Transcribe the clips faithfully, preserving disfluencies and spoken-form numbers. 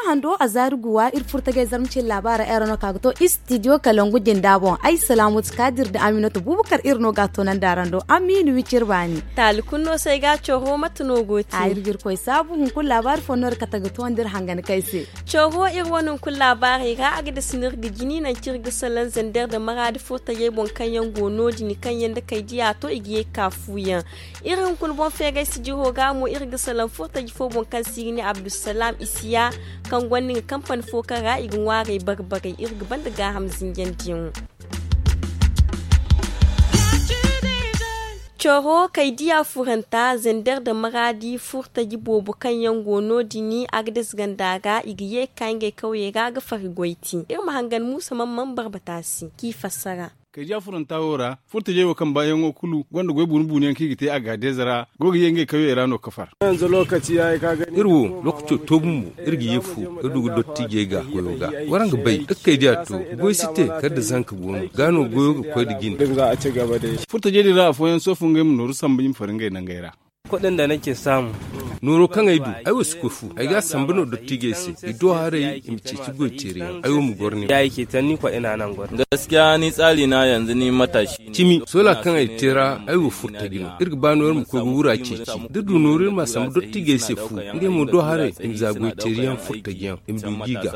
Hando a zaari guwa iri furtagay zarma cine laabaara era no ka ga to istidiyo kalangu jinda boŋ ay salaamatu kaadir nda aminatu buubakar iri no ga a toonandi araŋ do. Amiina wicir baani. Taali kulu no se ay ga coro mate no go te? Iri ga iri koy saabu hunkuna laabaari fo no iri kate ga toonandi iri hangan kay se. Coro iri wane hunkuna laabaarey ra a ga dasi no iri ga jini nangu kaŋ iri ga salaŋ zander nda maraadi furtajey boŋ kaŋ yaŋ go no- din kaŋ yaŋ nda kay diya to i ga ye ga ka fu yaŋ. Iri hunkuna boŋ feegay sijiro ga mo iri ga salaŋ furtaji fo boŋ kaŋ se i ga ne abdulsalaam isiya, kaŋ gonda nga kampani fo kaŋ ra i ga ŋwaarey bare-barey iri ga banda gaaham zinjandiyaŋo. Coro kay diya furanta zander nda maraadi furtaji boobo kaŋ yaŋ go no- din a ga dasi ganda ra i ga ye ga ka ngey kawyey ra ga fari goy te. Iri ma hangan muusa man man barbata se k'i fassara. Kaydiya furanta wo ra furtajey wo kaŋ baayaŋo kulu gonda goy buunu-buunuyaŋ kaŋ i ga te agaadez ra go ga ye ngey kawyey ra no ga far. Iri wo lookaco to bumbo iri ga ye fu ga du ga dottijey ga goyo ga. Waraŋ ga bay da kaydiya to goy si te kala da zanka go no ga no goyo ga koy nda jine. Furtajey din ra afooyaŋ sohõ ngey ma nooru sambu i ma far ngey nangey ra. Nooro kaŋ ay du ay wo si koy fu ay ga a sambu no dottijey se i do haray i ma ceeci goy teeriyaŋ ay wo ma goro ni. Cimi soola kaŋ ay te ra ay wo furtaji no iri ga ba no iri ma koy ga wura ceeci da du nooru iri ma a sambu dottijey se fu ngey mo do haray i ma za goy teeriyaŋ furtajiyaŋ i ma du jiiga.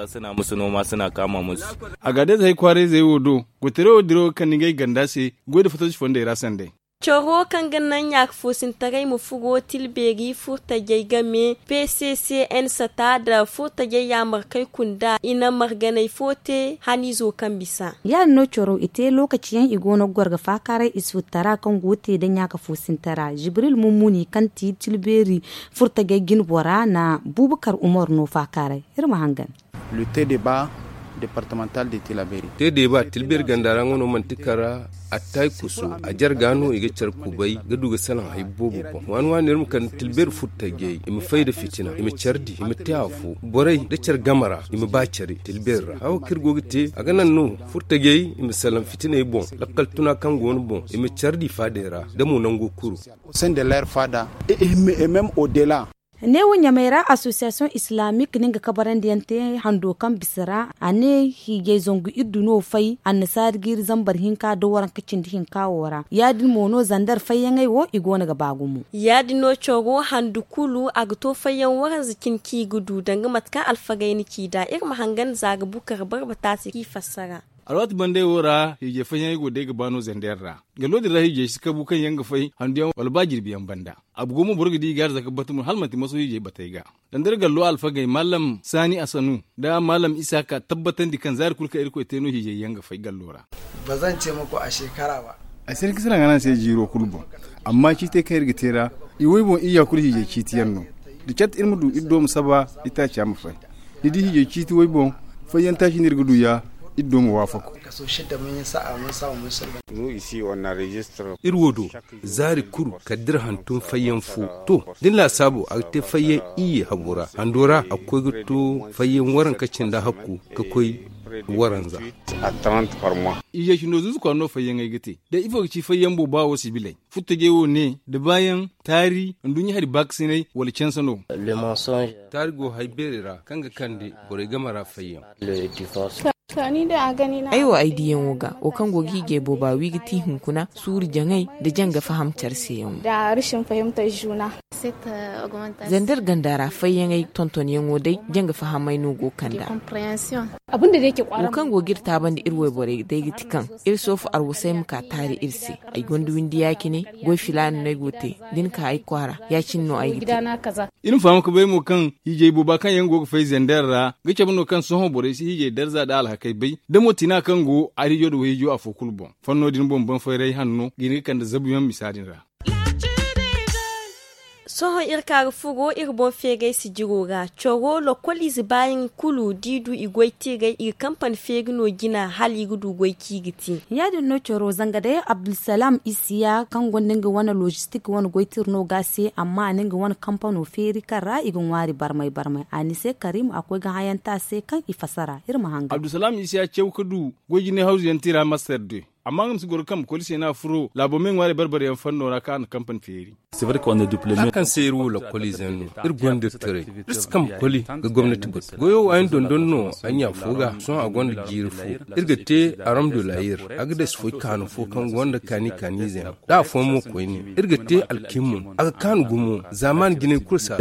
Agaadez hay kwaarayzey wo do goy teeriyaŋ wo diraw ga kande ngey ganda se goy nda fataci fondey ra sanday. Coro kaŋ ga naŋ ɲaaka foosintaray ma furo tilbeeri furtajey game p c c n sata nda furtajey yaamarkey kunda i na marganay fo te haniizo kaŋ bisa. Ya- din no coro i te lookaci yaŋ i go no ga goro ga faakaaray isfutara kaŋ go ga te nda ɲaaka foosintara jibril mummuni kaŋ ti tilbeeri furtajey jinbora na buubakar umar no faakaaray. Iri ma hangan. Te deeba tilbeeri ganda ra nga no manti kara attay kuso a jarga no i ga care kubay ga du ga salaŋ hay boobo boŋ waani waani iri ma kande tilbeeri furtajey i ma fay nda fitina i ma care di i ma te afo borey nda care game ra i ma ba care tilbeeri ra hawo kaŋ iri go ga te a ga naŋ no furtajey i ma salaŋ fitiney boŋ lakkal tuna kaŋ go no boŋ i ma care di faadey ra da mo nango kuru. Neewo ɲamey ra association islamique no nga kabarandiyaŋ te hando kaŋ bisa ra a ne hiijay zangu iri du no fay annasaari jiiri zambar hinka nda waranka cindi hinka wo ra ya- din mo no zandar fayyaŋey wo i go no ga ba gumo. Ya- din no coro handu kulu a ga to fayyaŋ waranza cine kaŋ i ga du danga mate kaŋ alfagey na ci nd'a iri ma hangan za ga bukar barbata se kaŋ i fassara. Alwaati bandey wo ra hiijay fayyaŋey go day ga ba no zandar ra. Gallo din ra hiijay si kabu kaŋ yaŋ ga fay handuyaŋ wala ba jirbiyaŋ banda. A bugo mo boro ga di i ga arzaka batumo hala manti maso hiijay batey ga. Zandar gallo alfagey mallam saani asanu nda mallam isaaka tabbatandi kaŋ zaari kulu kaŋ irkoy te no hiijay yaŋ ga fay gallo ra. Ay si hin ka salaŋ a naŋ se jiiro kulu boŋ. Amma ciitey kaŋ iri ga te ra i way boŋ iyya kulu hiijay ciiti yaŋ no. Da cat iri ma du iri do ma saba itaaca ma fay. Ni di hiijay ciiti way boŋ fayyaŋ taaci no iri ga du ya iri do ma waafaku. Iri wo do zaari kulu kala da iri hantum fayyaŋ fo to da ni laasaabo a ga te fayyaŋ iyye habo ra hando ra a ga koy ga to fayyaŋ waranka cindi hakku ga koy waranza. Iyye cindo zuzu kwaara no fayyaŋey ga te day ifo ga ci fayyaŋ booba wo sibiley furtajey wo ne da baayaŋ taari nduɲɲa hari baakasinay wala canse no. Taari go hay beeri ra kaŋ ga kande borey game ra fayyaŋ. Ay wo ay diyaŋo ga wo kaŋ go ga hiijay booba wi ga ti hunkuna suuru jaŋay nda janga faham care se yaŋo. Zandar ganda ra fayyaŋey tontonyaŋo day janga fahamay no go ga kand'a. Wo kaŋ go ga iri taabandi iri wayborey day ga ti kaŋ iri soofu arwasay ma ka taari iri se. Ay gonda windi ya- cine goy filaana no ay go ga te da ni ka ay kwaara ya- cine no ay ga te. Iri ma faham ga bay mo kaŋ hiijay booba kaŋ yaŋ go ga fay zender ra ga cabe no kaŋ sohõ borey si hiijay darza nda alhakey bay da mo tina kaŋ go ariijo nda wayhiijo afo kulu boŋ. Fanno din boŋ baŋ fayray hanno ga hin ga kande zabuyaŋ misa din ra. Sohõ iri ka ga furo iri boŋ feegay sijiro ra coro lokol ize baayaŋ kulu da i du i goy tiiray i ga kampani feeri no jina hala i ga du goy kaŋ i ga te. Ya- din no coro zanga day abdulsalam isiya kaŋ gonda nga wane logistik wane goy tira no ga a se amma a na nga wane kampano feeri kaŋ ra i ga ŋwaari barmay barmay a ni se karim a koy ga hayanti a se kaŋ i fasara iri ma hangan. Abdulsalam isiya caw ga du goy jinay hawzu yaŋ tira master de. amma nga ma si goro kambe koli se no a furo laabo me ŋwaarey barbare yaŋ fanno ra kaŋ a na kampani feeri. Za kaŋ se iri wo lakkoliize yaŋ no, iri gonda iri taray. Iri si kambe koli ga gomnati batu goyo wo ay na dondon no ay ɲa fo ga sohõ a gonda jiiri fo. Iri ga te aram de la yer a ga dasi foy kaanu fo kaŋ gonda kaani kaaniize yaŋ. Da afooyaŋ mo koyne iri ga te alkimmum a ga kaanu gumo. Zaamaani jinay kulu si a.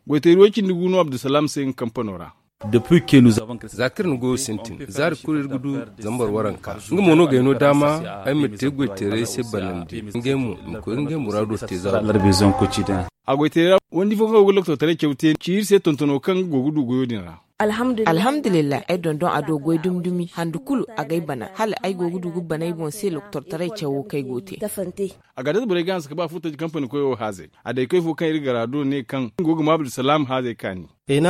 Goytayri way cindi gu no abdulsalaam se nga kampano ra. Za kaŋ iri na goyo sintin zaari kulu iri ga du zambar waranka nga mo no g'ay no daama ay ma te goyteeray se banandi ngey mo i ma koy ga ngey muraado te zaaro. A goyteeray ra wandi fo kaŋ go ga loktortaray caw te ci iri se tontono kaŋ nga go ga du goyo din ra. Alhamdulillahi ay dondon a do goy dumi dumi handu kulu a g'ay bana hala ay go ga du ga bana ay boŋ se loktortaray cawo kaŋ ay go ga te. A ga dasa borey ga hanse ga ba furtaji kampani koyo haazey. A day koy fo kaŋ iri gara do ne kaŋ nga go ga ma abdulsalaam haazey kaani. Ay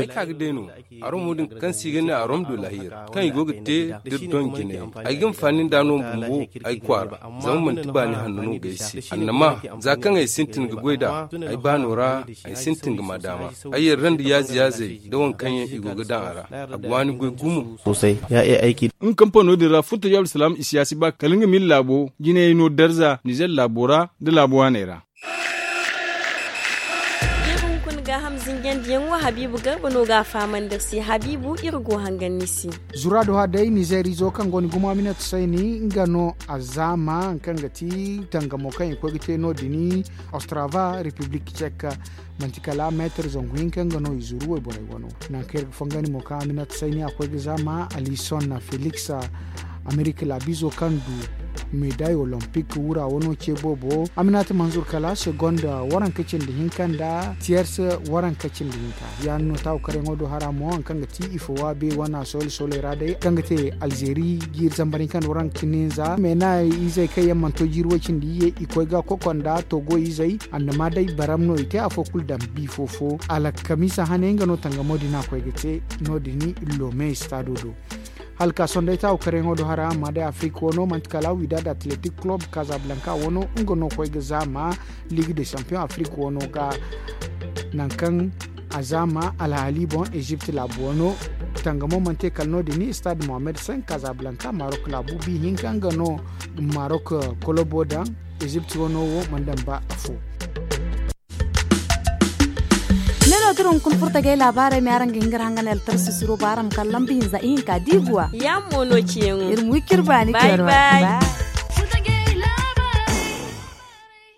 ka ga day no aromo din kaŋ se i ga ne arom do lahir kaŋ i go ga te da iri doŋ jinay. Ay ga hinfaani nd'a no bumbo ay kwaara zama manti baani hanno no ga ay se annama. Za kaŋ ay sintin ga goy nd'a ay baano ra ay sintin ga ma daama. Ay yarra nda yaaze yaazey nda waŋ kaŋ yaŋ i go ga daŋ a ra a ga waani goy gumo. Nga kampano din ra furtajo abdulsalaam i si ya si ba kala nga ma iri laabo jinayey no darza nizer laabo ra nda laabo waaney ra. Iri hunkuna gaaham zinjandiyaŋo habiibu garba no ga a fahamandi iri se habiibu iri go hangan ni se. Zura do ha day nizeer izo kaŋ go ni gumo aminat sayni nga no a zaama kaŋ ga ti tangamo kaŋ i koy ga te no- din ostrava repiblik cek. Manti kala meetar zangu hinka nga no i zuru wayborey wano. Nangu kaŋ iri ga fangani mo kaŋ aminat sayni a koy ga zaama alison felix amerika laabizo kaŋ du meday olympic wura wano ce boobo aminata manzur kala segonda waranka cindi hinka nda tiyers waranka cindi hinka. Ya no taawu karyaŋo do hara mo hari kaŋ ga ti ifo waabe wana soole sooley ra day kaŋ ga te alzeeri jiiri zambar hinka nda waranka cindi hinza meena izey kaŋ yaŋ mana to jiiri way cindi iyye i koy ga kokonda togo izey annama day baram no i te afo kulu daŋ bi fo fo alkamisa hane nga no tangamo din a koy ga te no- din lome stado do. Hala ka sohõ day taawu karyaŋo do hara amma day afirika wano manti kala widad atletik kulob kazablanka wano nga no koy ga zaama liig de champion afirika wano ga. Nangu kaŋ a zaama alhaali boŋ ezipt laabu wano tangamo mana te kala no- din stade mohammed cinq kazablanka marok laabu bi hinka nga no marok kolobo daŋ ezipt wano wo mana daŋ ba afo. Ne no dira hunkuna furtagay laabaarey ma araŋ ga hin ga iri hangan altarsi siro ba araŋ ma kala lamba hinza ihinka diiguwa. Yaamo no ciyaŋo iri ma wi ciri baani kayra.